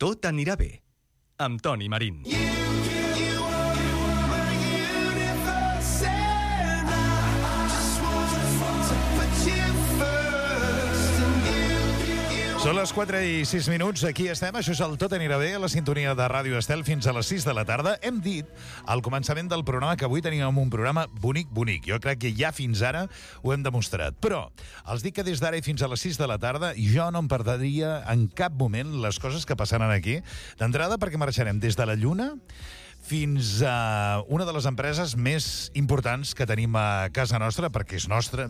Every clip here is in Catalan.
Tot anirà bé, amb Toni Marín. Són les 4:06, aquí estem, això és el Tot anirà bé, a la sintonia de Ràdio Estel fins a les 6 de la tarda. Hem dit al començament del programa que avui teníem un programa bonic. Jo crec que ja fins ara ho hem demostrat. Però els dic que des d'ara i fins a les 6 de la tarda jo no em perdria en cap moment les coses que passaran aquí. D'entrada perquè marxarem des de la Lluna fins a una de les empreses més importants que tenim a casa nostra, perquè és nostra.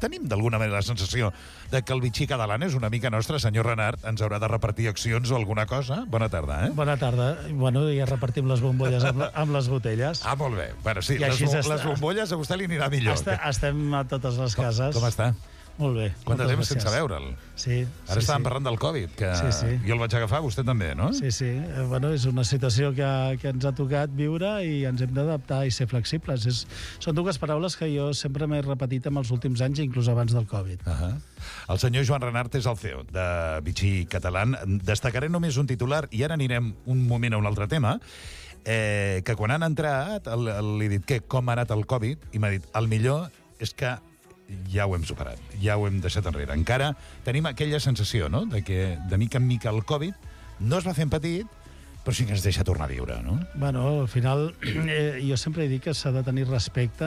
Tenim d'alguna manera la sensació de que el bitxí català és una mica nostre. Senyor Renart, ens haurà de repartir accions o alguna cosa? Bona tarda, eh? Bona tarda. Bueno, ja repartim les bombolles amb les botelles. Ah, molt bé. Bueno, sí, les bombolles a vostè li anirà millor. Estem a totes les cases. Com està? Molt bé. Quant de temps sense veure'l? Sí. Ara estàvem parlant del Covid, que jo el vaig agafar, vostè també, no? Sí. Bueno, és una situació que ens ha tocat viure i ens hem d'adaptar i ser flexibles. Són dues paraules que jo sempre m'he repetit en els últims anys, inclús abans del Covid. El senyor Joan Renart és el CEO de Vichy Català. Destacaré només un titular i ara anirem un moment a un altre tema, que quan han entrat li he dit com ha anat el Covid i m'ha dit, el millor és que ja ho hem superat, ja ho hem deixat enrere. Encara tenim aquella sensació, no?, de que de mica en mica el Covid no es va fent petit, però sí que ens deixa tornar a viure, no? Bueno, al final, jo sempre he dit que s'ha de tenir respecte,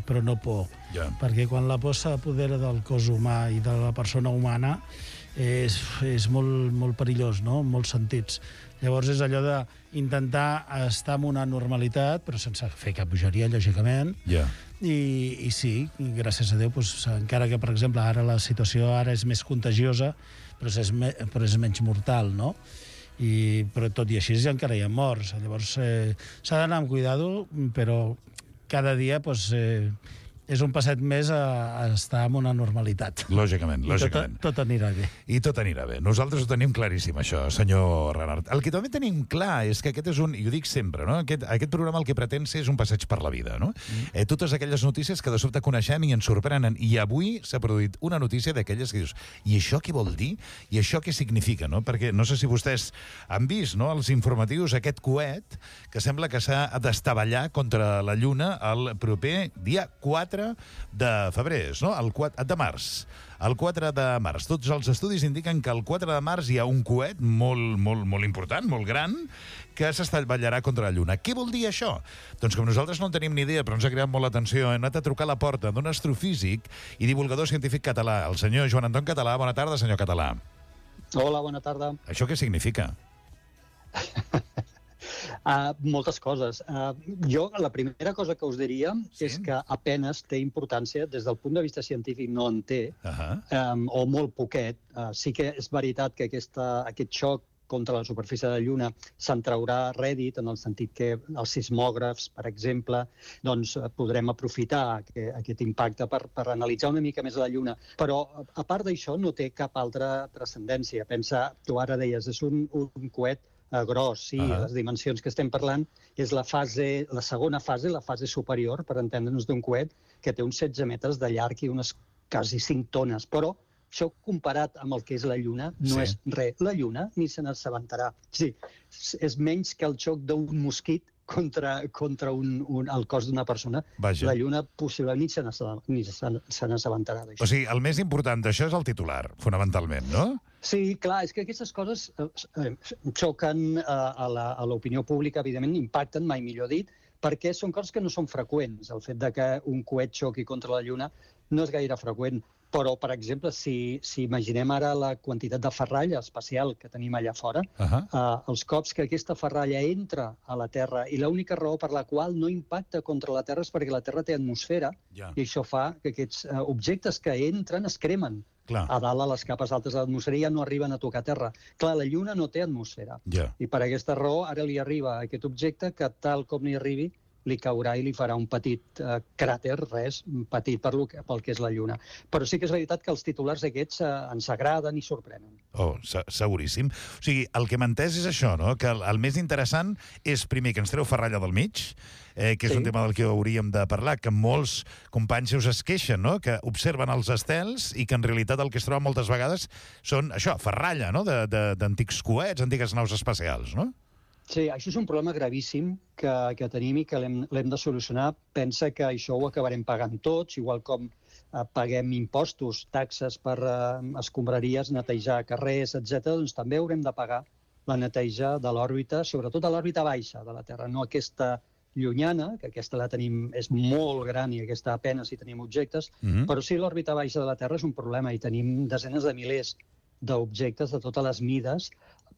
però no por. Perquè quan la por s'apodera del cos humà i de la persona humana, és molt perillós, no?, en molts sentits. Llavors és allò d'intentar estar en una normalitat, però sense fer cap bogeria, lògicament. I sí, gràcies a Déu, encara que, per exemple, ara la situació és més contagiosa, però és menys mortal, no? Però tot i així encara hi ha morts. Llavors s'ha d'anar amb cuidado, però cada dia és un passet més a estar en una normalitat. Lògicament. Tot anirà bé. I tot anirà bé. Nosaltres ho tenim claríssim, això, senyor Renart. El que també tenim clar és que aquest és i ho dic sempre, no?, aquest programa el que pretén ser és un passeig per la vida, no? Totes aquelles notícies que de sobte coneixem i ens sorprenen. I avui s'ha produït una notícia d'aquelles que dius, i això què vol dir? I això què significa, no? Perquè no sé si vostès han vist, no?, els informatius, aquest coet que sembla que s'ha d'estavellar contra la Lluna el proper dia 4 de febrer, no? De març. El 4 de març. Tots els estudis indiquen que el 4 de març hi ha un coet molt important, molt gran, que s'estavellarà contra la Lluna. Què vol dir això? Doncs com nosaltres no en tenim ni idea, però ens ha creat molt l'atenció, hem anat a trucar a la porta d'un astrofísic i divulgador científic català, el senyor Joan Anton Català. Bona tarda, senyor Català. Hola, bona tarda. Això què significa? Moltes coses. Jo, la primera cosa que us diria és que apenes té importància, des del punt de vista científic no en té, o molt poquet. Sí que és veritat que aquest xoc contra la superfície de la Lluna se'n traurà rèdit, en el sentit que els sismògrafs, per exemple, doncs podrem aprofitar aquest impacte per analitzar una mica més la Lluna. Però, a part d'això, no té cap altra transcendència. Pensa, tu ara deies, és un coet gros, sí, les dimensions que estem parlant és la segona fase, la fase superior, per entendre'ns, d'un coet que té uns 16 metres de llarg i unes quasi 5 tones, però això comparat amb el que és la Lluna no és res. La Lluna ni se n'assabentarà. Sí, és menys que el xoc d'un mosquit contra el cos d'una persona. La Lluna possiblement ni se n'assabentarà d'això. O sigui, el més important d'això és el titular, fonamentalment, no? Sí, clar, és que aquestes coses xoquen a l'opinió pública, evidentment, impacten, mai millor dit, perquè són coses que no són freqüents. El fet de que un coet xoqui contra la Lluna no és gaire freqüent. Però, per exemple, si imaginem ara la quantitat de ferralla espacial que tenim allà fora, els cops que aquesta ferralla entra a la Terra, i l'única raó per la qual no impacta contra la Terra és perquè la Terra té atmosfera, i això fa que aquests objectes que entren es cremen. A dalt, a les capes altes de l'atmosfera, ja no arriben a tocar terra. Clar, la Lluna no té atmosfera. I per aquesta raó ara li arriba aquest objecte que, tal com li arribi, li caurà i li farà un petit cràter, res, petit pel que és la Lluna. Però sí que és veritat que els titulars aquests ens agraden i sorprenen. Oh, seguríssim. O sigui, el que m'ha entès és això, no? Que el més interessant és, primer, que ens treu ferralla del mig, que és un tema del que hauríem de parlar, que molts companys seus es queixen, no? Que observen els estels i que en realitat el que es troba moltes vegades són, això, ferralla, no? D'antics coets, antigues naus espacials, no? Sí, això és un problema gravíssim que tenim i que l'hem de solucionar. Pensa que això ho acabarem pagant tots, igual com paguem impostos, taxes per escombraries, netejar carrers, etc. Doncs també haurem de pagar la neteja de l'òrbita, sobretot a l'òrbita baixa de la Terra, no aquesta llunyana, que aquesta la tenim, és molt gran i aquesta apenas hi tenim objectes, però sí l'òrbita baixa de la Terra és un problema i tenim desenes de milers d'objectes de totes les mides,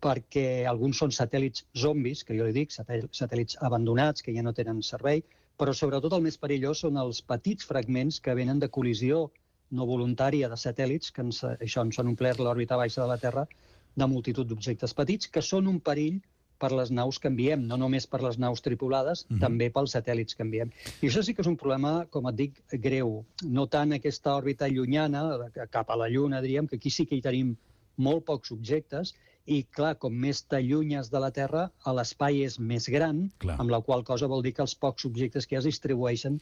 perquè alguns són satèl·lits zombis, que jo li dic, satèl·lits abandonats, que ja no tenen servei, però sobretot el més perillós són els petits fragments que venen de col·lisió no voluntària de satèl·lits, que ens han omplert l'òrbita baixa de la Terra de multitud d'objectes petits, que són un perill per les naus que enviem, no només per les naus tripulades, també pels satèl·lits que enviem. I això sí que és un problema, com et dic, greu. No tant aquesta òrbita llunyana, cap a la Lluna, diríem, que aquí sí que hi tenim molt pocs objectes, i, clar, com més t'allunyes de la Terra, l'espai és més gran, amb la qual cosa vol dir que els pocs objectes que es distribueixen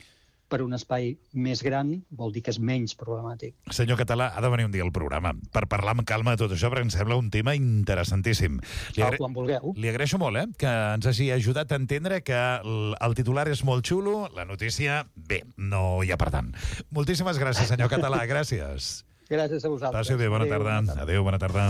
per un espai més gran vol dir que és menys problemàtic. Senyor Català, ha de venir un dia al programa per parlar amb calma de tot això, perquè em sembla un tema interessantíssim. Quan vulgueu. Li agraeixo molt que ens hagi ajudat a entendre que el titular és molt xulo, la notícia, bé, no hi ha per tant. Moltíssimes gràcies, senyor Català, gràcies. Gràcies a vosaltres. Passi bé, bona tarda. Adéu, bona tarda.